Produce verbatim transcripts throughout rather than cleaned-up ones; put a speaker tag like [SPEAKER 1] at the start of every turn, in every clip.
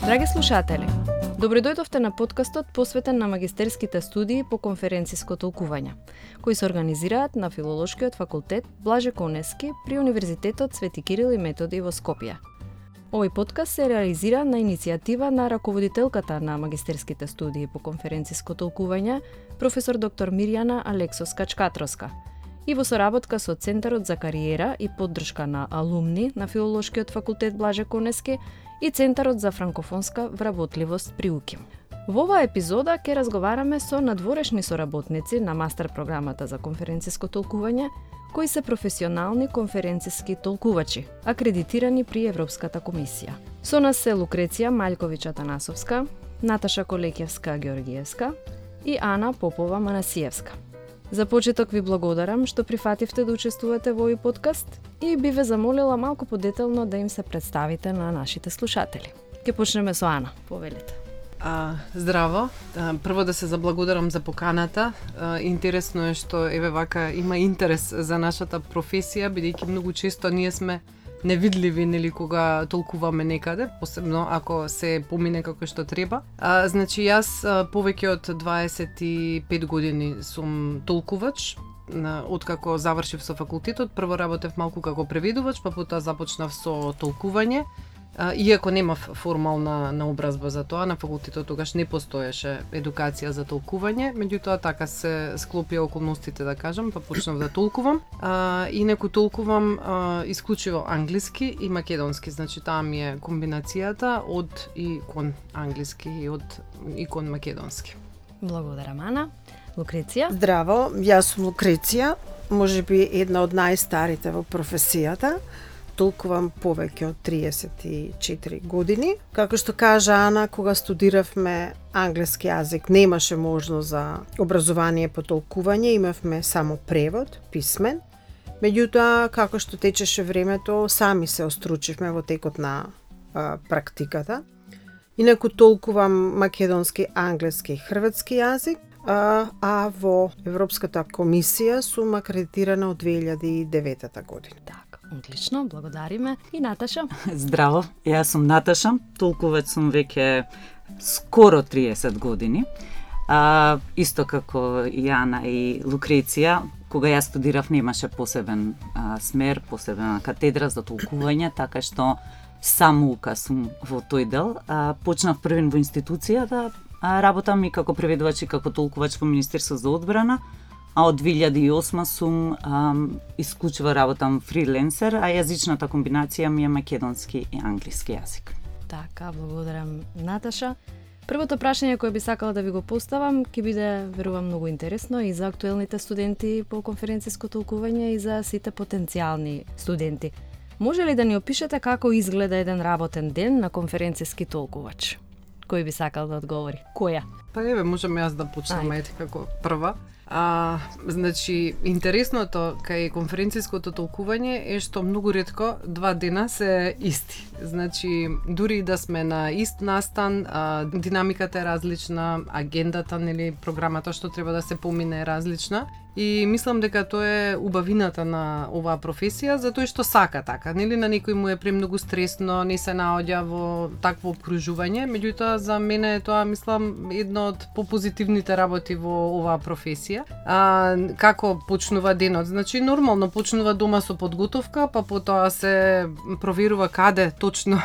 [SPEAKER 1] Драги слушатели, добро дојдовте на подкастот посветен на магистерските студии по конференциско толкување, кои се организираат на Филолошкиот факултет Блаже Конески при Универзитетот Свети Кирил и Методи во Скопје. Овој подкаст се реализира на иницијатива на раководителката на магистерските студии по конференциско толкување, професор доктор Мирјана Алексос-Качкатроска, и во соработка со Центарот за кариера и поддршка на алумни на Филолошкиот факултет Блаже Конески и Центарот за франкофонска вработливост при УКИМ. Во оваа епизода ќе разговараме со надворешни соработници на мастер програмата за конференциско толкување, кои се професионални конференциски толкувачи, акредитирани при Европската комисија. Со нас се Лукреција Маљковиќ-Атанасовска, Наташа Колекјевска-Георгиевска и Ана Попова-Манасиевска. За почеток ви благодарам што прифативте да учествувате во овој подкаст и би ве замолила малку подетелно да им се представите на нашите слушатели. Ке почнеме со Ана, повелете.
[SPEAKER 2] А, здраво, а, прво да се заблагодарам за поканата. А, интересно е што еве вака има интерес за нашата професија, бидејќи многу често ние сме невидливи нели кога толкуваме некаде, посебно ако се помине како што треба. А, значи јас а, повеќе од дваесет и пет години сум толкувач. Откако завршив со факултетот, прво работев малку како преведувач, па потоа започнав со толкување. Иако немав формална наобразба за тоа, на факултетот тогаш не постоеше едукација за толкување, меѓутоа така се склопија околностите, да кажам, па почнав да толкувам. А, инаку толкувам а, исклучиво англиски и македонски, значи таа ми е комбинацијата од и кон англиски и од и кон македонски.
[SPEAKER 1] Благодарам, Ана. Лукреција?
[SPEAKER 3] Здраво, јас сум Лукреција, можеби една од најстарите во професијата. Толкувам повеќе од триесет и четири години. Како што кажа Ана, кога студиравме англиски јазик, немаше можност за образование по толкување, имавме само превод, писмен. Меѓутоа, како што течеше времето, сами се остручивме во текот на а, практиката. Инаку толкувам македонски, англиски и хрватски јазик, а, а во Европската комисија сум акредитирана од две илјади и девета година.
[SPEAKER 1] Одлично, благодариме. И Наташа?
[SPEAKER 4] Здраво, јас сум Наташа, толкувач сум веќе скоро триесет години. А, исто како и Ана и Лукреција, кога јас студирав немаше посебен а, смер, посебна катедра за толкување, така што само ука сум во тој дел. А, почнав првен во институцијата, а, работам и како преведувач и како толкувач во Министерство за одбрана, а од две илјади и осма сум ам, исклучиво работам фриленсер, а јазичната комбинација ми е македонски и англиски јазик.
[SPEAKER 1] Така, благодарам, Наташа. Првото прашање кое би сакала да ви го поставам ќе биде, верувам, многу интересно и за актуелните студенти по конференциско толкување и за сите потенцијални студенти. Може ли да ни опишете како изгледа еден работен ден на конференциски толкувач? Кој би сакал да одговори? Која?
[SPEAKER 2] Па еве, можам јас да почнам ете како прва. А, значи, интересното кај конференциското толкување е што многу ретко два дена се исти. Значи, дури да сме на ист настан, а, динамиката е различна, агендата, нели, програмата што треба да се помине е различна. И мислам дека тоа е убавината на оваа професија, затоа што сака така, нели, на некој му е премногу стресно, не се наоѓа во такво обкружување, меѓутоа за мене е тоа, мислам, едно од попозитивните работи во оваа професија. А, како почнува денот? Значи, нормално почнува дома со подготовка, па потоа се проверува каде точно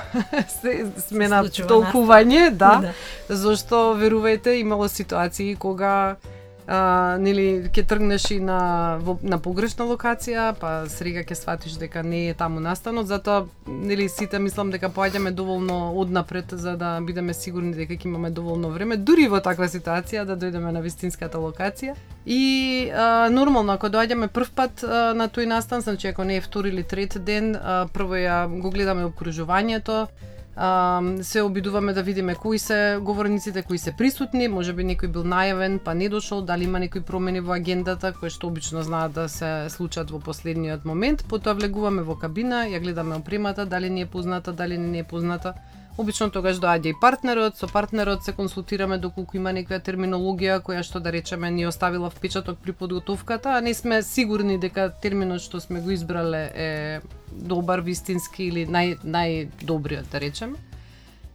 [SPEAKER 2] се сме на толкување, да, да. Зашто, верувајте, имало ситуации кога А, нели ќе тргнеш и на во, на погрешна локација, па срега ќе сватиш дека не е таму настанот, затоа нели сите мислам дека поаѓаме доволно однапред за да бидеме сигурни дека ќе имаме доволно време дури во таква ситуација да дојдеме на вистинската локација. И а, нормално ако доаѓаме прв пат а, на тој настан, значи ако не е втори или трет ден, а, прво ја го гледаме обкружувањето. Uh, се обидуваме да видиме кои се говорниците, кои се присутни, можеби некој бил најавен па не дошол, дали има некои промени во агендата, кои што обично знаат да се случат во последниот момент. Потоа влегуваме во кабина, ја гледаме опремата, дали ни е позната, дали не е позната. Обично тогаш доаѓа и партнерот, со партнерот се консултираме доколку има некоја терминологија која што да речеме ни оставила впечаток при подготовката, а не сме сигурни дека терминот што сме го избрале е добар, вистински или нај најдобриот, да речеме.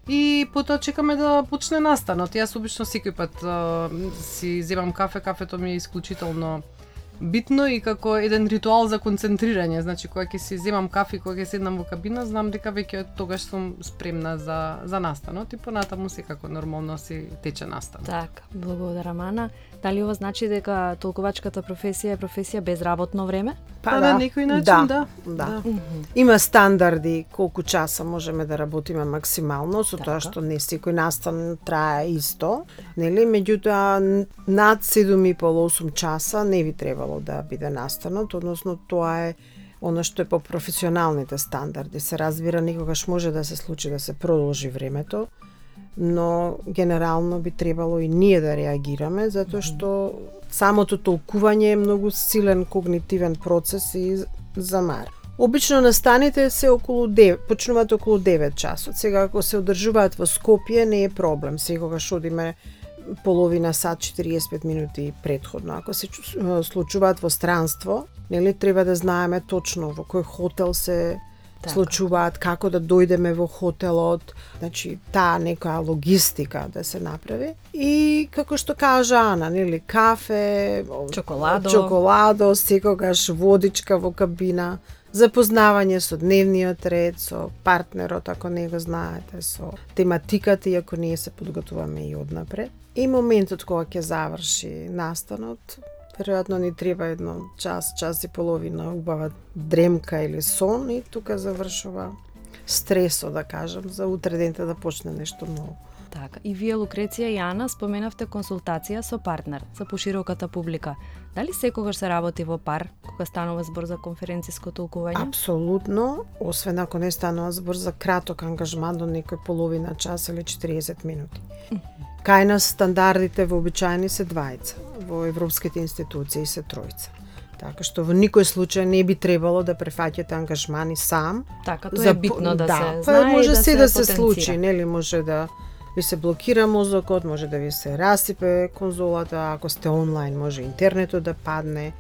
[SPEAKER 2] И потоа чекаме да почне настанот. Јас обично секој пат а, си земам кафе, кафето ми е исклучително битно и како еден ритуал за концентрирање. Значи, кога ќе си земам кафе, кога ќе седнам во кабина, знам дека веќе тогаш сум спремна за, за настанот и понатаму секако нормално си тече настанот.
[SPEAKER 1] Така, благодарам, Ана. Дали ова значи дека толкувачката професија е професија без работно време?
[SPEAKER 2] Па, па да, на некој начин, да.
[SPEAKER 3] Да. да. да. Има стандарди колку часа можеме да работиме максимално, со тоа што не секој настан трае исто, нели? Меѓутоа над седум и пол до осум часа не би требало да биде настанот, односно тоа е она што е по професионалните стандарди. Се разбира, никогаш може да се случи да се продолжи времето, но генерално би требало и ние да реагираме, затоа што самото толкување е многу силен когнитивен процес и замар. Обично настаните се околу девет, почнуваат околу девет часот. Сега ако се одржуваат во Скопје не е проблем, секогаш одиме половина сат, четириесет и пет минути предходно. Ако се случуваат во странство, нели треба да знаеме точно во кој хотел се така случуваат, како да дојдеме во хотелот, значи таа некоја логистика да се направи. И како што кажа Ана, нели, кафе,
[SPEAKER 1] чоколадо,
[SPEAKER 3] чоколадо, секогаш водичка во кабина, запознавање со дневниот ред, со партнерот ако не го знаете, со тематиката и ако ние се подготуваме и однапред. И моментот кога ќе заврши настанот, веројатно ни треба едно час, час и половина убава дремка или сон и тука завршува стресот, да кажам, за утре денте да почне нешто ново.
[SPEAKER 1] Така, и вие, Лукреција и Ана, споменавте консултација со партнер за пошироката публика. Дали секогаш се работи во пар кога станува збор за конференциско толкување?
[SPEAKER 3] Апсолутно, освен ако не станува збор за краток ангажман до некој половина час или четириесет минути. Кај нас стандардите вообичаени се двајца, во европските институции се тројца. Така што во никој случај не би требало да префаќате ангажмани сам.
[SPEAKER 1] Така, тоа е битно да, да се
[SPEAKER 3] па,
[SPEAKER 1] знае
[SPEAKER 3] може
[SPEAKER 1] и да
[SPEAKER 3] се
[SPEAKER 1] се
[SPEAKER 3] да се
[SPEAKER 1] потенцира.
[SPEAKER 3] случи, нели, може да ви се блокира мозокот, може да ви се расипе конзолата, ако сте онлайн, може интернетот да падне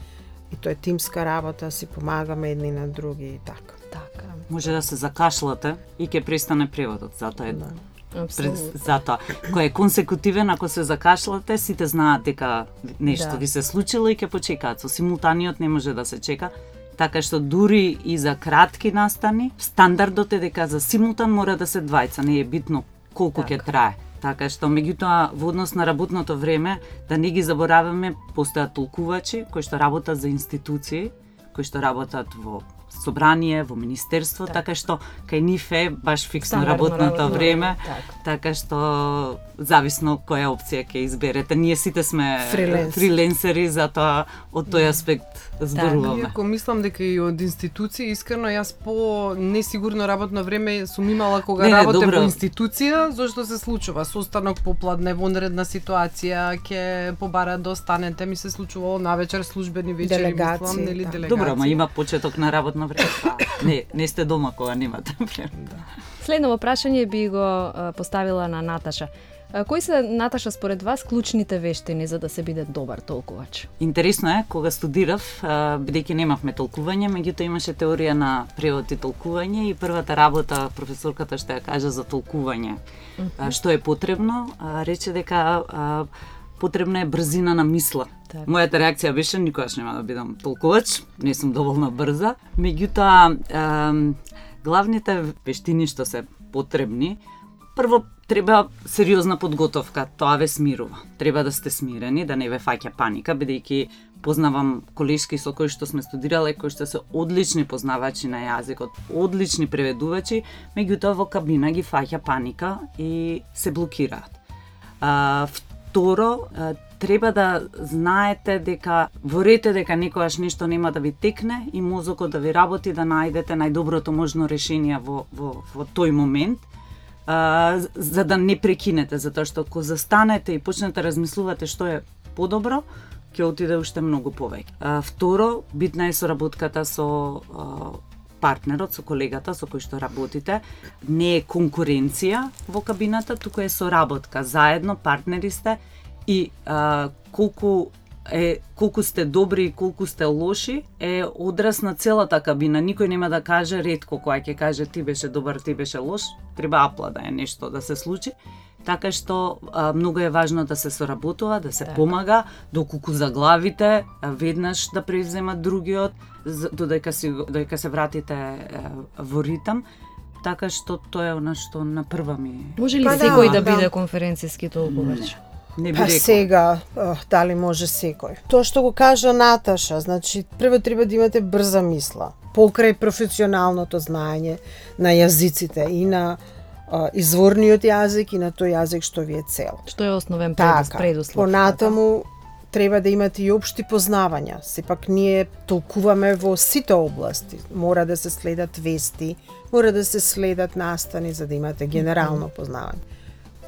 [SPEAKER 3] и тоа е тимска работа, си помагаме едни на други и така.
[SPEAKER 1] Така.
[SPEAKER 4] Може да се закашлате и ќе престане преводот, затоа е
[SPEAKER 3] Да.
[SPEAKER 1] Апсолутно.
[SPEAKER 4] затоа кој е консекутивен, ако се закашлате, сите знаат дека нешто
[SPEAKER 1] Да.
[SPEAKER 4] ви се случило и ќе почекаат. Со симултаниот не може да се чека. Така што дури и за кратки настани, стандардот е дека за симултан мора да се двајца, не е битно колку ќе
[SPEAKER 1] Така.
[SPEAKER 4] трае. Така што меѓутоа во однос на работното време да не ги забораваме, постојат толкувачи кои што работат за институции, кои што работат во собрание, во министерство,
[SPEAKER 1] Так.
[SPEAKER 4] така што кај нив е баш фиксно
[SPEAKER 1] Стандардно
[SPEAKER 4] работното
[SPEAKER 1] работно
[SPEAKER 4] време,
[SPEAKER 1] време,
[SPEAKER 4] така што зависно која опција ќе изберете. Ние сите сме
[SPEAKER 3] Фриленс.
[SPEAKER 4] фриленсери, затоа од тој аспект зборуваме.
[SPEAKER 2] Иако мислам дека и од институции, искрено јас по несигурно работно време сум имала кога
[SPEAKER 4] Не, не,
[SPEAKER 2] работам
[SPEAKER 4] добро.
[SPEAKER 2] во институција, зашто се случува состанок попладне, вонредна ситуација, ќе побара да останете, ми се случувало навечер службени вечери,
[SPEAKER 3] Делегации,
[SPEAKER 2] мислам, нели,
[SPEAKER 3] да.
[SPEAKER 2] делегации.
[SPEAKER 4] Добро, ама има почеток на работно време. Па, не, не сте дома кога немате време.
[SPEAKER 1] Следно прашање би го а, поставила на Наташа. А, кои се, Наташа, според вас клучните вештини за да се биде добар толкувач?
[SPEAKER 4] Интересно е, кога студирав, а, бидејќи немавме толкување, меѓутоа имаше теорија на превод и толкување и првата работа професорката што ја кажа за толкување, а, што е потребно, а, рече дека а, потребна е брзина на мисла.
[SPEAKER 1] Така.
[SPEAKER 4] Мојата реакција беше никогаш нема да бидам толкувач, не сум доволно брза. Меѓутоа, а, главните вештини што се потребни, прво треба сериозна подготовка, тоа ве смирува. Треба да сте смирени, да не ве фаќа паника, бидејќи познавам колешки со кои што сме студирале, кои што се одлични познавачи на јазикот, одлични преведувачи, меѓутоа во кабина ги фаќа паника и се блокираат. А, второ, а, треба да знаете дека ворете дека некогаш нешто нема да ви текне и мозокот да ви работи да најдете најдоброто можно решение во, во, во тој момент, а, за да не прекинете, затоа што ако застанете и почнете размислувате што е подобро, ќе отиде уште многу повеќе. А, второ, битна е соработката со а, партнерот, со колегата со кој што работите, не е конкуренција во кабината, туку е соработка, заедно партнери сте и а, колку е колку сте добри и колку сте лоши е одраз на целата кабина. Никој нема да каже, ретко кој ќе каже ти беше добар, ти беше лош, треба аплада е нешто да се случи. Така што а, многу е важно да се соработува, да се так. помага, доколку заглавите а, веднаш да превземат другиот, додека се додека се вратите а, во ритам. Така што тоа е она што на прва ми.
[SPEAKER 1] Може ли
[SPEAKER 3] па
[SPEAKER 1] секој да,
[SPEAKER 3] да
[SPEAKER 1] биде конференциски толкувач?
[SPEAKER 4] Не би
[SPEAKER 3] па
[SPEAKER 4] рекол.
[SPEAKER 3] сега, дали може секој? Тоа што го кажа Наташа, значи прво треба да имате брза мисла, покрај професионалното знаење на јазиците и на а, изворниот јазик и на тој јазик што ви е цел.
[SPEAKER 1] Што е основен
[SPEAKER 3] Така,
[SPEAKER 1] предуслов?
[SPEAKER 3] понатаму треба да имате и општи познавања. Сепак ние толкуваме во сите области. Мора да се следат вести, мора да се следат настани за да имате генерално познавање.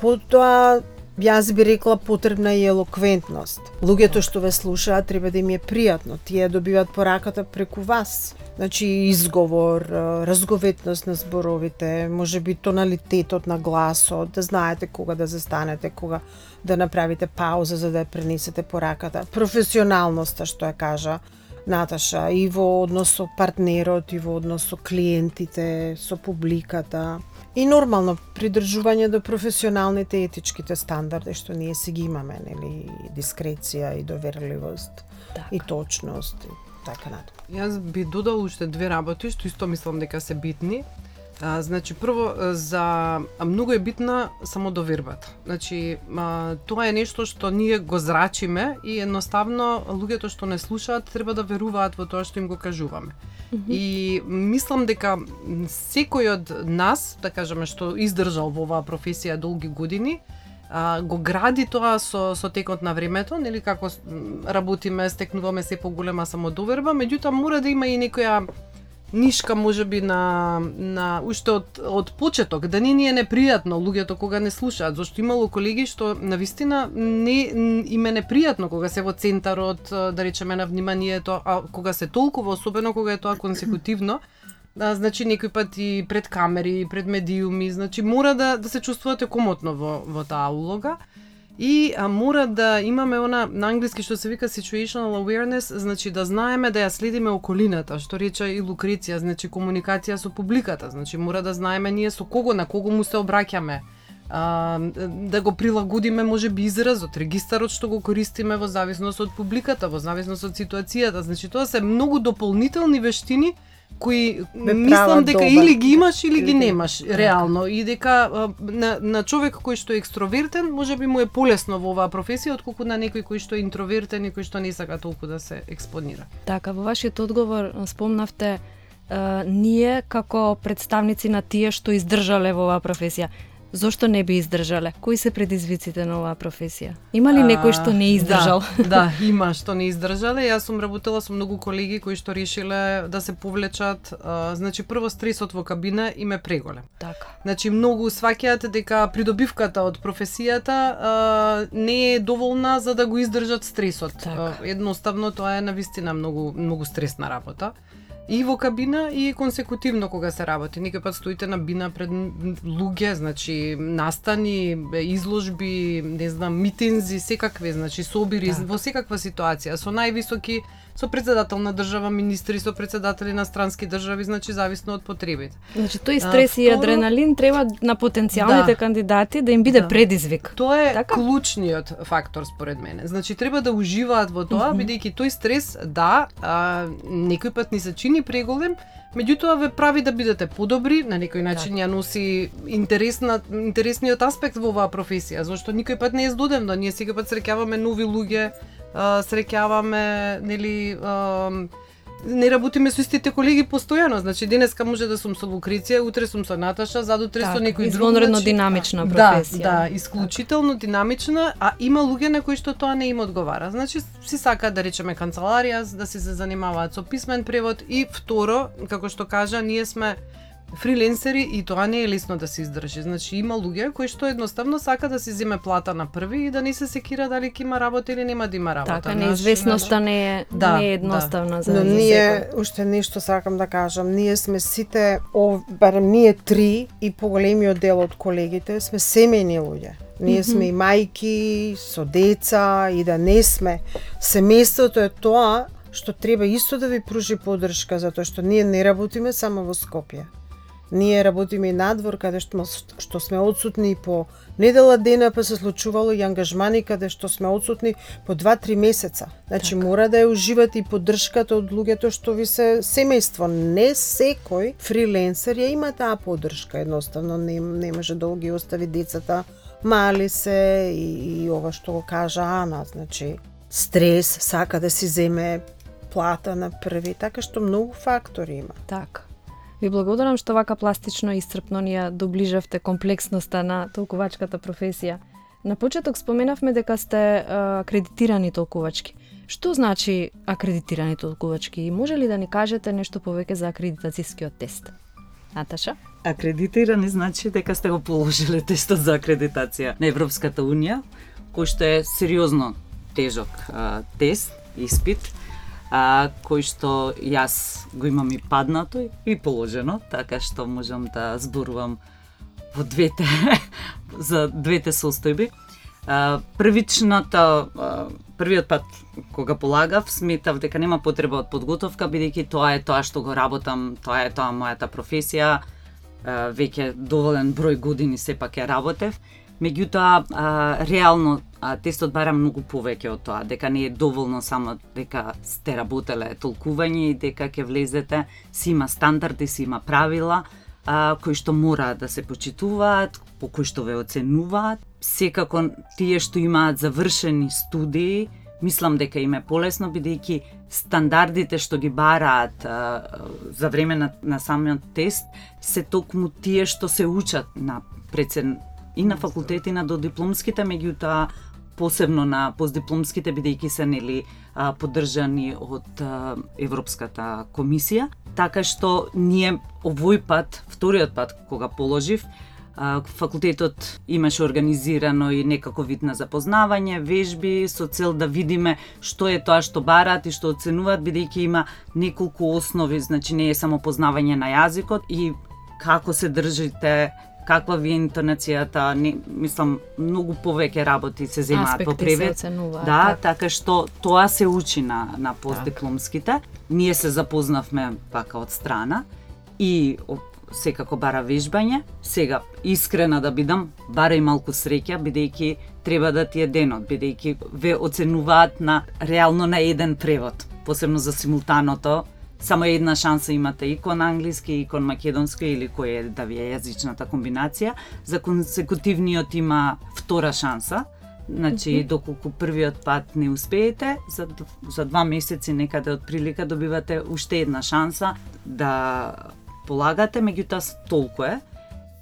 [SPEAKER 3] Потоа јас би рекла потребна е елоквентност. Луѓето што ве слушаат треба да им е пријатно. Тие добиваат пораката преку вас. Значи изговор, разговетност на зборовите, можеби тоналитетот на гласот, да знаете кога да застанете, кога да направите пауза за да ја пренесете пораката. Професионалноста што ја кажа Наташа и во однос со партнерот, и во однос со клиентите, со публиката. И нормално придржување до професионалните и етичките стандарди што ние си ги имаме, нели, дискреција и доверливост,
[SPEAKER 1] Так.
[SPEAKER 3] и точност и така натаму.
[SPEAKER 2] Јас би додал уште две работи што исто мислам дека се битни. А, значи прво за многу е битна самодовербата. Значи а, тоа е нешто што ние го зрачиме и едноставно луѓето што не слушаат треба да веруваат во тоа што им го кажуваме. Mm-hmm. И мислам дека секој од нас, да кажеме, што издржал во оваа професија долги години, а, го гради тоа со со текот на времето, нели како работиме, стекнуваме се поголема самодоверба, меѓутоа мора да има и некоја нишка можеби на на уште од од почеток, да не ни е непријатно луѓето кога не слушаат, зашто имало колеги што навистина не им е непријатно кога се во центарот, да речеме, на вниманието, а кога се толкува, особено кога е тоа консекутивно, а, значи некој пат и пред камери, пред медиуми, значи мора да да се чувствувате комотно во во таа улога. И а, мора да имаме она на англиски што се вика situational awareness, значи да знаеме да ја следиме околината, што рече и Лукреција, значи комуникација со публиката, значи мора да знаеме ние со кого, на кого му се обраќаме, а, да го прилагодиме можеби изразот, регистарот што го користиме во зависност од публиката, во зависност од ситуацијата, значи тоа се многу дополнителни вештини кои мислам дека добар. Или ги имаш или ги немаш реално и дека на, на човек кој што е екстровертен можеби му е полесно во оваа професија отколку на некој кој што е интровертен и кој што не сака толку да се експонира.
[SPEAKER 1] Така, во вашиот одговор спомнавте е, ние како представници на тие што издржале во оваа професија. Зошто не би издржале? Кои се предизвиците на оваа професија? Има ли некој што не издржал?
[SPEAKER 2] Да, да, има што не издржале. Јас сум работела со многу колеги кои што решиле да се повлечат. А, значи прво стресот во кабина им е преголем.
[SPEAKER 1] Така.
[SPEAKER 2] Значи многу сваќаат дека придобивката од професијата а, не е доволна за да го издржат стресот.
[SPEAKER 1] Така.
[SPEAKER 2] А, едноставно тоа е навистина многу многу стресна работа. И во кабина и консекутивно кога се работи. Некој пат стоите на бина пред луѓе, значи настани, изложби, не знам, митинзи, секакви, значи собири, да. Во секаква ситуација, со највисоки, со председател на држава, министри, со председатели на странски држави, значи зависно од потребите.
[SPEAKER 1] Значи тој стрес а, и адреналин треба на потенцијалните да. кандидати да им биде да. предизвик.
[SPEAKER 2] Тоа е
[SPEAKER 1] така?
[SPEAKER 2] Клучниот фактор според мене. Значи треба да уживаат во тоа, mm-hmm. бидејќи тој стрес, да, а, некој пат ни се чини преголем, меѓутоа ве прави да бидете подобри, на некој начин ја носи интересна, интересниот аспект во оваа професија, зашто никој пат не е здодевно, ние секој пат среќаваме нови луѓе, среќаваме, нели, не работиме со истите колеги постојано, значи денеска може да сум со Лукреција, утре сум со Наташа, задутре со некој друг.
[SPEAKER 1] Извонредно значи, динамична професија.
[SPEAKER 2] Да, да, исклучително динамична, а има луѓе на кои што тоа не им одговара. Значи си сака да речеме канцеларија, да се занимаваат со писмен превод и второ, како што кажа, ние сме фриленсери и тоа не е лесно да се издржи. Значи има луѓе кои што едноставно сака да се земе плата на први и да не се секира дали ќе има работа или нема да има работа.
[SPEAKER 1] Така, неизвестноста не е
[SPEAKER 2] да,
[SPEAKER 1] не е едноставна
[SPEAKER 2] да.
[SPEAKER 1] за
[SPEAKER 3] Но
[SPEAKER 1] за
[SPEAKER 3] ние
[SPEAKER 1] секој.
[SPEAKER 3] уште нешто сакам да кажам, ние сме сите, о, барем ние три и поголемиот дел од колегите сме семејни луѓе. Ние сме и мајки со деца и да не сме. Семејството е тоа што треба исто да ви пружи поддршка, затоа што ние не работиме само во Скопје. Ние работиме и надвор, каде што, што сме одсутни по недела дена, па се случувало и ангажмани каде што сме одсутни по два-три месеца. Значи
[SPEAKER 1] така.
[SPEAKER 3] Мора да ја уживате и поддршката од луѓето што ви се семејство. Не секој фриленсер ја има таа поддршка, едноставно не, не може да ги остави децата, мали се и, и ова што го кажа Ана, значи стрес, сака да си земе плата на први, така што многу фактори има.
[SPEAKER 1] Така. Ви благодарам што вака пластично и исцрпно ни ја доближавте комплексноста на толкувачката професија. На почеток споменавме дека сте а, акредитирани толкувачки. Што значи акредитирани толкувачки и може ли да ни кажете нешто повеќе за акредитацијскиот тест? Наташа?
[SPEAKER 4] Акредитирани значи дека сте го положиле тестот за акредитација на Европската Унија, кој што е сериозно тежок а, тест, испит, а, кој што јас го имам и паднато и положено, така што можам да зборувам во двете за двете состојби. А, првичната а, првиот пат кога полагав, сметав дека нема потреба од подготовка, бидејќи тоа е тоа што го работам, тоа е тоа мојата професија, а, веќе доволен број години сепак ја работев. Меѓутоа, а, реално а, тестот бара многу повеќе од тоа, дека не е доволно само дека сте работеле толкување и дека ќе влезете, си има стандарди, си има правила, а, кои што мора да се почитуваат, по кои што ве оценуваат. Секако тие што имаат завршени студии, мислам дека им е полесно, бидејќи стандардите што ги бараат а, за време на, на самиот тест се токму тие што се учат на прецен и на факултети на додипломските, меѓутоа посебно на постдипломските, бидејќи се нели а, поддржани од а, Европската комисија. Така што ние овој пат, вториот пат кога положив, а, факултетот имаше организирано и некако вид на запознавање, вежби со цел да видиме што е тоа што бараат и што оценуваат, бидејќи има неколку основи, значи не е само познавање на јазикот и како се држите, каква ви е интонацијата, не, мислам, многу повеќе работи се земаат во превед.
[SPEAKER 1] Аспекти се оценуваат.
[SPEAKER 4] Да,
[SPEAKER 1] така.
[SPEAKER 4] така што тоа се учи на, на постдипломските. Ние се запознавме вака од страна и о, секако бара вежбање. Сега, искрена да бидам, бара и малку среќа, бидејќи треба да ти е денот, бидејќи ве оценуваат на реално на еден превод, посебно за симултаното. Само една шанса имате и кон англиски, и кон македонски или кој е да ви е јазичната комбинација. За консекутивниот има втора шанса. Значи, mm -hmm. доколку првиот пат не успеете, за, за два месеци некаде од прилика добивате уште една шанса да полагате, меѓутоа толку е.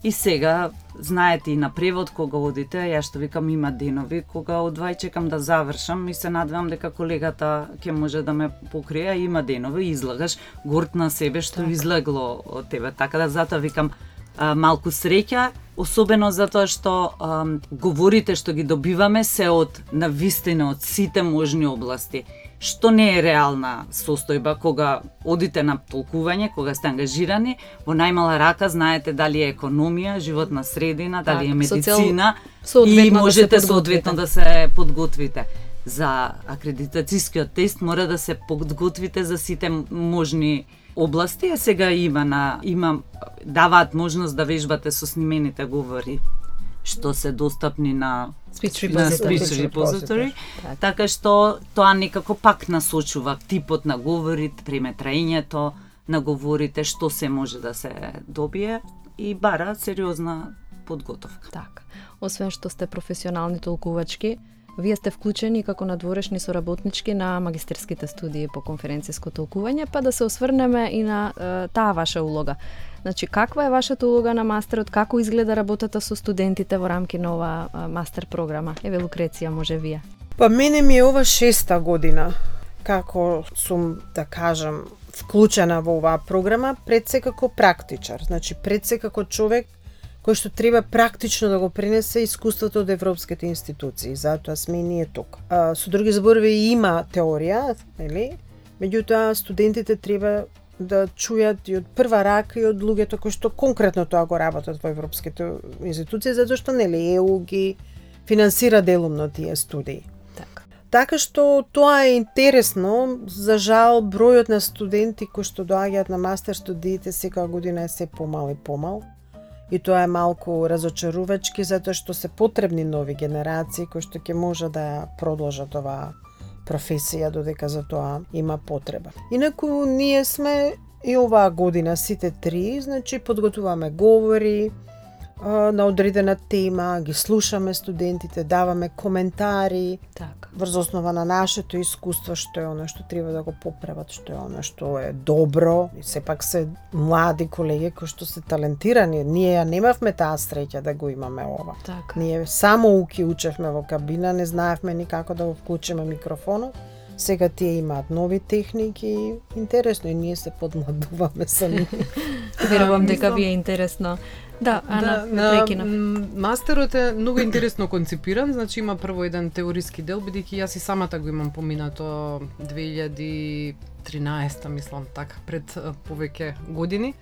[SPEAKER 4] И сега, знаете и на превод кога одите, ја што викам има денови кога одвај чекам да завршам и се надевам дека колегата ќе може да ме покрие, има денови и излагаш горд на себе што так. Излегло од тебе. Така да затоа викам а, малку среќа, особено затоа што а, говорите што ги добиваме се од навистина од сите можни области. Што не е реална состојба кога одите на толкување, кога сте ангажирани, во најмала рака знаете дали е економија, животна средина, дали так, е медицина и можете да соодветно да се подготвите. За акредитацијскиот тест мора да се подготвите за сите можни области, а сега има на има даваат можност да вежбате со снимените говори што се достапни на
[SPEAKER 1] Speech
[SPEAKER 4] на
[SPEAKER 1] repository.
[SPEAKER 4] Speech repository.
[SPEAKER 1] Така.
[SPEAKER 4] Така што тоа некако пак насочува типот на говорите, преметрањето на говорите, што се може да се добие и бара сериозна подготовка.
[SPEAKER 1] Така. Освен што сте професионални толкувачки, вие сте вклучени како надворешни соработнички на магистерските студии по конференциско толкување, па да се осврнеме и на е, таа ваша улога. Значи, каква е вашата улога на мастерот, како изгледа работата со студентите во рамки на ова е, мастер програма? Еве, Лукреција, може вие.
[SPEAKER 3] Па мене ми е ова шеста година, како сум, да кажам, вклучена во оваа програма, пред се како практичар, значи пред се како човек кој што треба практично да го пренесе искуството од европските институции, затоа сме и ние тук. А, со други зборови има теорија, нели? Меѓутоа студентите треба да чујат и од прва рака и од луѓето кои што конкретно тоа го работат во европските институции, затоа што нели Е У ги финансира делумно тие студии.
[SPEAKER 1] Така.
[SPEAKER 3] Така што тоа е интересно, за жал бројот на студенти кои што доаѓаат на мастер студиите секоја година е се помал и помал. И тоа е малку разочарувачки затоа што се потребни нови генерации кои што ќе може да ја продолжат оваа професија додека за тоа има потреба. Инаку ние сме и оваа година сите три, значи подготуваме говори а, на одредена тема, ги слушаме студентите, даваме коментари,
[SPEAKER 1] Така.
[SPEAKER 3] врз основа на нашето искуство, што е оно што треба да го поправат, што е оно што е добро. И сепак се млади колеги кои што се талентирани. Ние ја немавме таа среќа да го имаме ова.
[SPEAKER 1] Така.
[SPEAKER 3] Ние само уки учевме во кабина, не знаевме ни како да го вклучиме микрофонот. Сега тие имаат нови техники, интересно и ние се подмладуваме сами.
[SPEAKER 1] Верувам дека
[SPEAKER 2] мислам-
[SPEAKER 1] ви е интересно. Да, Ана,
[SPEAKER 2] Да,
[SPEAKER 1] ме
[SPEAKER 2] на,
[SPEAKER 1] прекинав.
[SPEAKER 2] м, мастерот е многу интересно конципиран, значи има прво еден теориски дел, бидејќи јас и самата го имам поминато две илјади и тринаесета, мислам, така, пред а, повеќе години.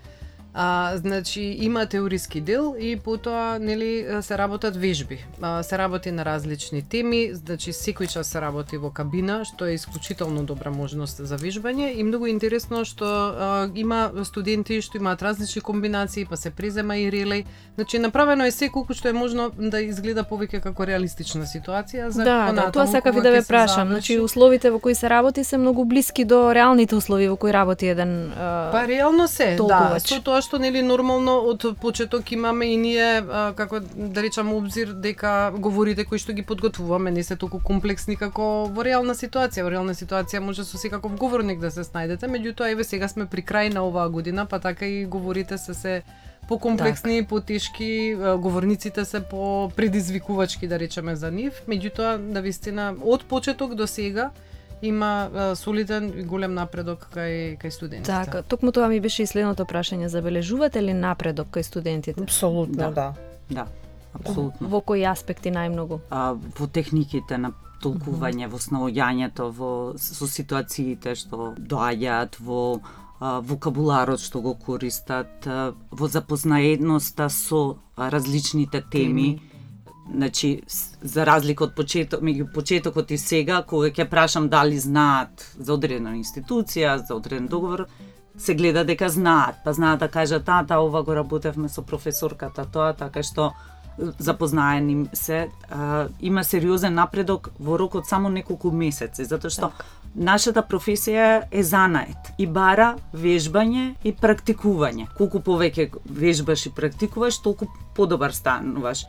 [SPEAKER 2] А, значи има теориски дел и потоа нели се работат вежби. А, се работи на различни теми, значи секој час се работи во кабина, што е исклучително добра можност за вежбање и многу интересно што а, има студенти што имаат различни комбинации, па се презема и релеј. Значи направено е се колку што е можно да изгледа повеќе како реалистична ситуација за
[SPEAKER 1] Да, да,
[SPEAKER 2] понатаму
[SPEAKER 1] тоа сакав и
[SPEAKER 2] кога
[SPEAKER 1] да
[SPEAKER 2] ќе
[SPEAKER 1] ве
[SPEAKER 2] се
[SPEAKER 1] прашам.
[SPEAKER 2] заврши.
[SPEAKER 1] Значи условите во кои се работи се многу блиски до реалните услови во кои работи еден а,
[SPEAKER 2] Па реално се, да,
[SPEAKER 1] толкувач.
[SPEAKER 2] со тоа што нели нормално од почеток имаме и ние а, како да речам обзир дека говорите кои што ги подготвуваме не се толку комплексни како во реална ситуација. Во реална ситуација може со секаков говорник да се снајдете, меѓутоа еве сега сме при крај на оваа година, па така и говорите се се покомплексни,
[SPEAKER 1] Така.
[SPEAKER 2] потешки, а, говорниците се по предизвикувачки да речеме за нив, меѓутоа на вистина од почеток до сега има а, солиден и голем напредок кај кај студентите.
[SPEAKER 1] Така, токму тоа ми беше и следното прашање. Забележувате ли напредок кај студентите?
[SPEAKER 3] Апсолутно,
[SPEAKER 4] Да.
[SPEAKER 3] да.
[SPEAKER 4] Да, апсолутно.
[SPEAKER 1] Во кои аспекти најмногу?
[SPEAKER 4] А, во техниките на толкување, во снаоѓањето, во со ситуациите што доаѓаат, во а, вокабуларот што го користат, а, во запознаеноста со а, различните теми. Значи, с- за разлика од почеток, меѓу почетокот и сега, кога ќе прашам дали знаат за одредена институција, за одреден договор, се гледа дека знаат, па знаат да кажат, а, та, ова го работевме со професорката, тоа, така што запознаени им се, а, има сериозен напредок во рок од само неколку месеци, затоа што нашата професија е занает и бара вежбање и практикување. Колку повеќе вежбаш и практикуваш, толку подобар стануваш.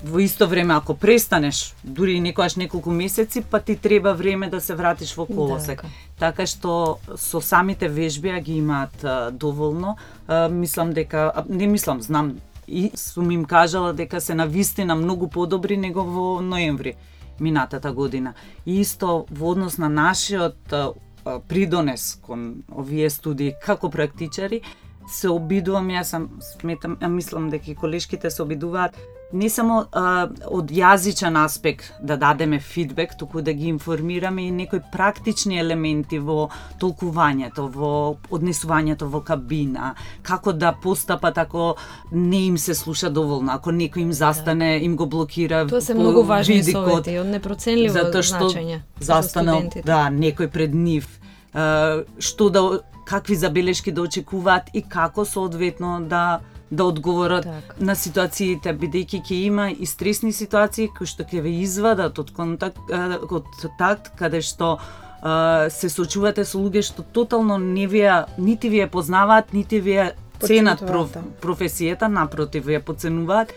[SPEAKER 4] Во исто време, ако престанеш, дури и некојаш неколку месеци, па ти треба време да се вратиш во колосек.
[SPEAKER 1] Така.
[SPEAKER 4] Така што со самите вежби а ги имаат а, доволно. А, мислам дека, а, не мислам, знам, и сум им кажала дека се навистина многу подобри него во ноември минатата година. И исто во однос на нашиот а, а, придонес кон овие студии како практичари, се обидувам, јас сам сметам, а мислам дека и колешките се обидуваат не само а, од јазичен аспект да дадеме фидбек, туку да ги информираме и некои практични елементи во толкувањето, во однесувањето во кабина, како да постапат ако не им се слуша доволно, ако некој им застане, им го блокира
[SPEAKER 1] Тоа се
[SPEAKER 4] по
[SPEAKER 1] многу важни
[SPEAKER 4] видикот,
[SPEAKER 1] совети, од непроценливо
[SPEAKER 4] затоа што
[SPEAKER 1] значење за
[SPEAKER 4] застанал,
[SPEAKER 1] студентите.
[SPEAKER 4] да, некој пред нив, а, што да, какви забелешки да очекуваат и како соодветно да да одговорат
[SPEAKER 1] Така.
[SPEAKER 4] на ситуациите, бидејќи ќе има и стресни ситуации кои што ќе ве извадат од контакт, а, од такт, каде што а, се соочувате со луѓе што тотално не вие, нити вие познаваат, нити вие ценат проф,
[SPEAKER 3] Почитуваат, да.
[SPEAKER 4] професијата, напротив, вие подценуваат,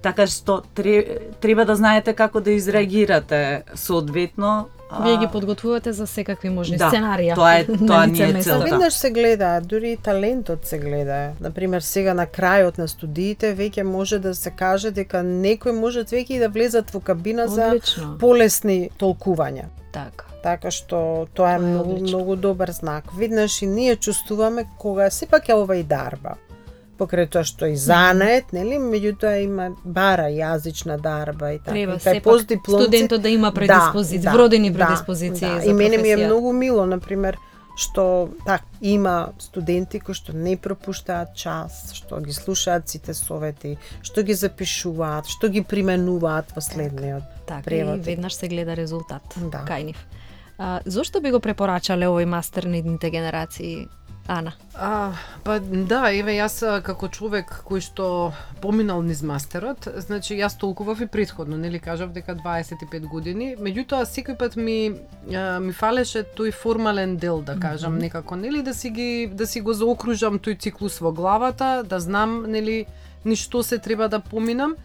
[SPEAKER 4] така што треба да знаете како да изреагирате соодветно. а,
[SPEAKER 1] Вие ги подготвувате за секакви можни
[SPEAKER 4] Да,
[SPEAKER 1] сценарија.
[SPEAKER 4] тоа е-
[SPEAKER 1] на
[SPEAKER 4] тоа
[SPEAKER 1] лице
[SPEAKER 4] ни е
[SPEAKER 1] место.
[SPEAKER 4] целта.
[SPEAKER 3] Веднаш се гледа, дури и талентот се гледа. Например, сега на крајот на студиите веќе може да се каже дека некој можат веќе и да влезат во кабина за
[SPEAKER 1] Одлично.
[SPEAKER 3] полесни толкувања.
[SPEAKER 1] Така.
[SPEAKER 3] Така што тоа е,
[SPEAKER 1] Тоа е
[SPEAKER 3] многу,
[SPEAKER 1] одлично.
[SPEAKER 3] многу добар знак. Виднаш и ние чувствуваме кога сепак е ова и дарба. Покрај тоа што и занет, нели, меѓутоа има бара јазична дарба и така.
[SPEAKER 1] Треба
[SPEAKER 3] И кај
[SPEAKER 1] сепак
[SPEAKER 3] постдипломци-
[SPEAKER 1] студентот да има предиспозиции,
[SPEAKER 3] да,
[SPEAKER 1] вродени
[SPEAKER 3] да,
[SPEAKER 1] предиспозиции
[SPEAKER 3] да.
[SPEAKER 1] за
[SPEAKER 3] И мене ми е
[SPEAKER 1] професија.
[SPEAKER 3] многу мило, например, што так има студенти кои што не пропуштаат час, што ги слушаат сите совети, што ги запишуваат, што ги применуваат во следниот
[SPEAKER 1] Така,
[SPEAKER 3] превод.
[SPEAKER 1] и веднаш се гледа резултат
[SPEAKER 3] Да.
[SPEAKER 1] кај нив. А, зошто би го препорачале овој мастер на идните генерации, Ана?
[SPEAKER 2] А, па да, еве јас а, како човек кој што поминал низ мастерот, значи јас толкував и претходно, нели кажав дека дваесет и пет години, меѓутоа секој пат ми а, ми фалеше тој формален дел, да кажам, mm-hmm. некако, нели да си ги да си го заокружам тој циклус во главата, да знам, нели, ни што се треба да поминам.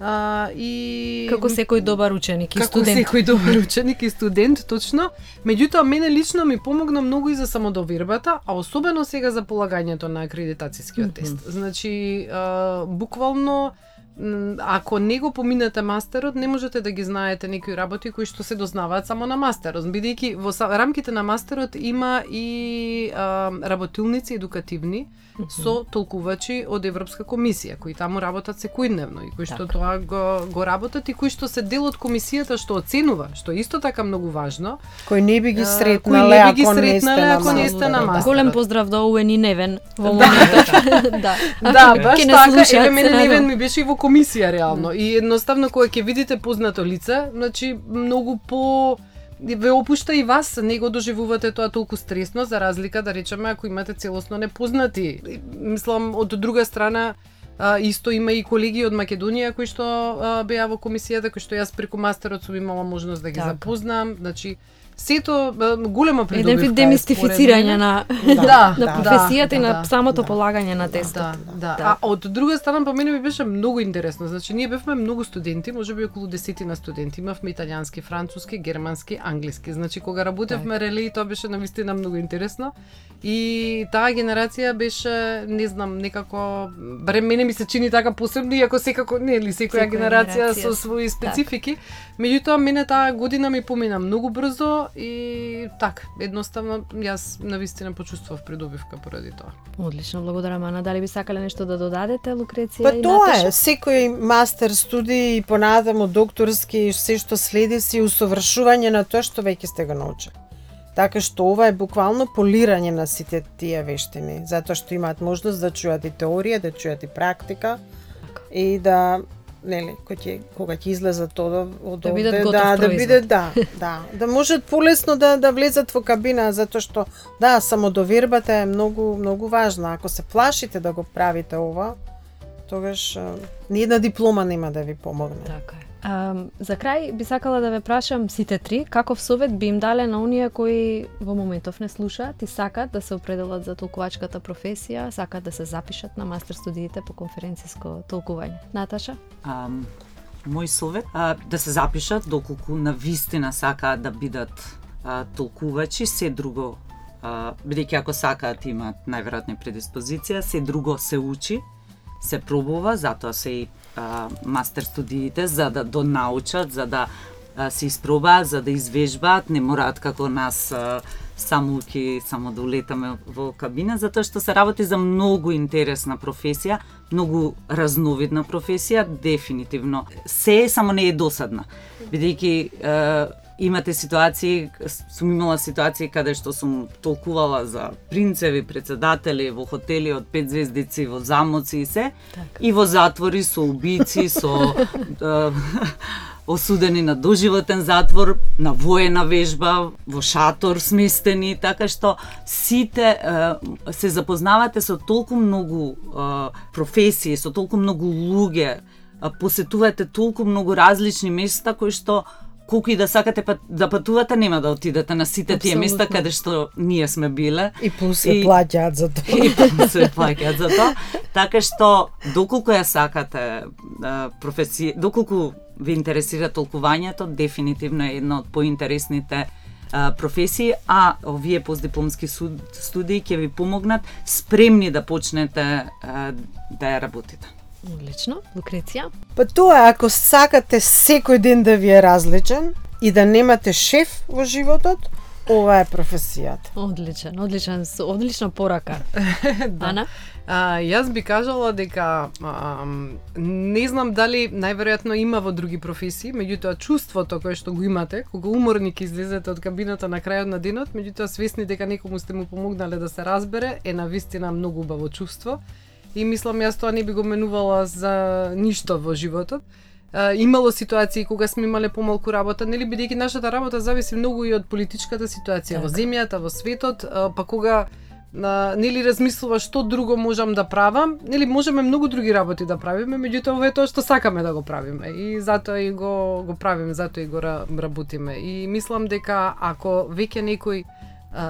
[SPEAKER 2] А, и
[SPEAKER 1] Како секој добар ученик и
[SPEAKER 2] како
[SPEAKER 1] студент.
[SPEAKER 2] секој добар ученик и студент, точно. Меѓутоа, мене лично ми помогна многу и за самодовербата, а особено сега за полагањето на акредитацијскиот
[SPEAKER 1] Мгм.
[SPEAKER 2] тест. Значи, а, буквално, м, ако не го поминете мастерот, не можете да ги знаете некои работи кои што се дознаваат само на мастерот. Бидејќи во са- рамките на мастерот има и а, работилници едукативни, со толкувачи од Европска комисија, кои таму работат секојдневно и кои што
[SPEAKER 1] Така.
[SPEAKER 2] тоа го, го работат и кои што се дел од комисијата што оценува, што е исто така многу важно.
[SPEAKER 3] Кој не би ги
[SPEAKER 2] А,
[SPEAKER 3] сретнале
[SPEAKER 2] кои не би ги
[SPEAKER 3] ако не сте
[SPEAKER 2] сретнале
[SPEAKER 3] на
[SPEAKER 2] ако не
[SPEAKER 3] мастер.
[SPEAKER 2] сте на
[SPEAKER 3] Да.
[SPEAKER 2] мастер.
[SPEAKER 1] Голем поздрав до Уен и Невен во моментот. да.
[SPEAKER 2] Да, баш
[SPEAKER 1] Ќе не
[SPEAKER 2] така,
[SPEAKER 1] слушаат,
[SPEAKER 2] еве мене
[SPEAKER 1] се
[SPEAKER 2] Невен
[SPEAKER 1] надевам.
[SPEAKER 2] ми беше и во комисија реално и едноставно кога ќе видите познато лице, значи многу по ве опушта и вас, не го доживувате тоа толку стресно за разлика да речеме ако имате целосно непознати. Мислам од друга страна а, исто има и колеги од Македонија кои што а, беа во комисијата, кои што јас преку мастерот сум имала можност да ги
[SPEAKER 1] Така.
[SPEAKER 2] запознам, значи сето а, голема придобивка.
[SPEAKER 1] Еден вид
[SPEAKER 2] е,
[SPEAKER 1] демистифицирање
[SPEAKER 2] според
[SPEAKER 1] на
[SPEAKER 2] Да,
[SPEAKER 1] на
[SPEAKER 2] да,
[SPEAKER 1] професијата и
[SPEAKER 2] да,
[SPEAKER 1] на
[SPEAKER 2] да,
[SPEAKER 1] самото
[SPEAKER 3] да.
[SPEAKER 1] полагање на тестот.
[SPEAKER 2] Да, да.
[SPEAKER 1] Да.
[SPEAKER 2] А од друга страна, по мене ми беше многу интересно. Значи, ние бевме многу студенти, можеби околу десетина студенти. Имавме италијански, француски, германски, англиски. Значи, кога работевме релеи, тоа беше навистина многу интересно. И таа генерација беше, не знам, некако, барем мене ми се чини така посебно, иако секако, нели, секоја
[SPEAKER 1] Секоја
[SPEAKER 2] генерација
[SPEAKER 1] генерација
[SPEAKER 2] со своји специфики. Меѓутоа, мене таа година ми помина многу брзо и так, едноставно, јас навистина почувствував придобивка поради тоа.
[SPEAKER 1] Одлично, благодарам, Ана. Дали би сакале нешто да додадете, Лукреција
[SPEAKER 3] Па
[SPEAKER 1] и
[SPEAKER 3] тоа
[SPEAKER 1] Наташа?
[SPEAKER 3] е, секој мастер студии и понатаму докторски и се што следи си усовршување на тоа што веќе сте го научили. Така што ова е буквално полирање на сите тие вештини, затоа што имаат можност да чујат и теорија, да чујат и практика и да нели, кој ќе кога ќе излезат тоа од
[SPEAKER 1] Да бидат
[SPEAKER 3] овде,
[SPEAKER 1] готов
[SPEAKER 3] да, да
[SPEAKER 1] производ.
[SPEAKER 3] бидат да, да, да можат полесно да да влезат во кабина затоа што да, самодовербата е многу многу важна. Ако се плашите да го правите ова, тогаш а, ниедна диплома нема да ви помогне.
[SPEAKER 1] Така е. А, за крај би сакала да ве прашам сите три, каков совет би им дале на оние кои во моментов не слушаат и сакат да се определат за толкувачката професија, сакат да се запишат на мастер студиите по конференциско толкување. Наташа?
[SPEAKER 4] А, мој совет а, да се запишат доколку на вистина сакаат да бидат а, толкувачи, се друго а, бидејќи ако сакаат имаат најверојатно предиспозиција, се друго се учи, се пробува, затоа се и а, мастер студиите за да донаучат, за да а, се испробаат, за да извежбаат, не мораат како нас а, само ќе само да улетаме во кабина, затоа што се работи за многу интересна професија, многу разновидна професија, дефинитивно. Се е, само не е досадна. Бидејќи е, имате ситуации, сум имала ситуации каде што сум толкувала за принцеви, председатели во хотели од пет звездици, во замоци и се,
[SPEAKER 1] Така.
[SPEAKER 4] и во затвори со убици, со е, осудени на доживотен затвор, на воена вежба, во шатор сместени, така што сите е, се запознавате со толку многу е, професии, со толку многу луѓе, е, посетувате толку многу различни места кои што колку и да сакате па, да патувате, нема да отидете на сите тие места
[SPEAKER 1] Апсолутно.
[SPEAKER 4] каде што ние сме биле.
[SPEAKER 3] И плюс се
[SPEAKER 4] И-
[SPEAKER 3] плаќаат за тоа.
[SPEAKER 4] И се плаќаат за тоа. Така што доколку ја сакате а, професија, доколку ве интересира толкувањето, дефинитивно е една од поинтересните а, професии, а овие постдипломски суд- студии ќе ви помогнат спремни да почнете а, да ја работите.
[SPEAKER 1] Одлично. Лукреција?
[SPEAKER 3] Па тоа е, ако сакате секој ден да ви е различен, и да немате шеф во животот, ова е професијата.
[SPEAKER 1] Одличен, одличен, одлична порака.
[SPEAKER 2] Да.
[SPEAKER 1] Ана?
[SPEAKER 2] А, јас би кажала дека а, не знам дали најверојатно има во други професии, меѓутоа чувството кое што го имате, кога уморник излезете од кабината на крајот на денот, меѓутоа свесни дека некому сте му помогнале да се разбере, е навистина многу убаво чувство. И мислам јас тоа не би го менувала за ништо во животот. Uh, имало ситуации кога сме имале помалку работа, нели, бидејќи нашата работа зависи многу и од политичката ситуација так. Во земјата, во светот, uh, па кога uh, нели размислуваш што друго можам да правам, нели можеме многу други работи да правиме, меѓутоа ова е тоа што сакаме да го правиме и затоа и го го правиме, затоа и го работиме. И мислам дека ако веќе некој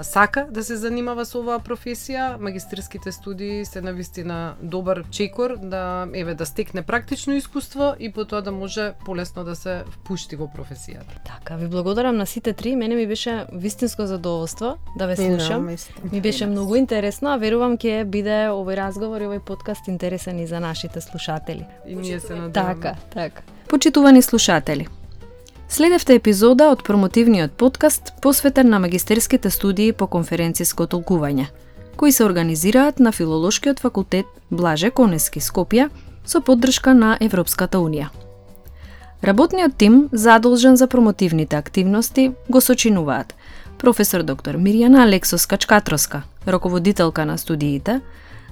[SPEAKER 2] сака да се занимава со оваа професија, магистерските студии се навистина добар чекор да еве да стекне практично искуство и потоа да може полесно да се впушти во професијата.
[SPEAKER 1] Така, ви благодарам на сите три. Мене ми беше вистинско задоволство да ве слушам. Ми беше многу интересно, а верувам ќе биде овој разговор и овој подкаст интересен и за нашите слушатели.
[SPEAKER 2] И ние се надеваме.
[SPEAKER 1] Така, така. Почитувани слушатели, следевте епизода од промотивниот подкаст посветен на магистерските студии по конференциско толкување, кои се организираат на Филолошкиот факултет Блаже Конески, Скопје, со поддршка на Европската Унија. Работниот тим задолжен за промотивните активности го сочинуваат професор доктор Мирјана Алексовска-Чкатровска, раководителка на студиите,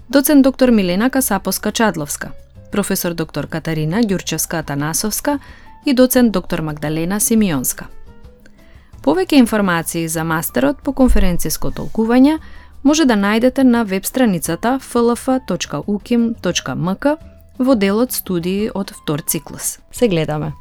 [SPEAKER 1] доцент доктор Милена Касаповска-Чадловска, професор доктор Катарина Ѓурчевска-Атанасовска и доцент доктор Магдалена Симеонска. Повеќе информации за мастерот по конференциско толкување може да најдете на веб страницата ф л ф точка у к и м точка м к во делот студии од втор циклус. Се гледаме!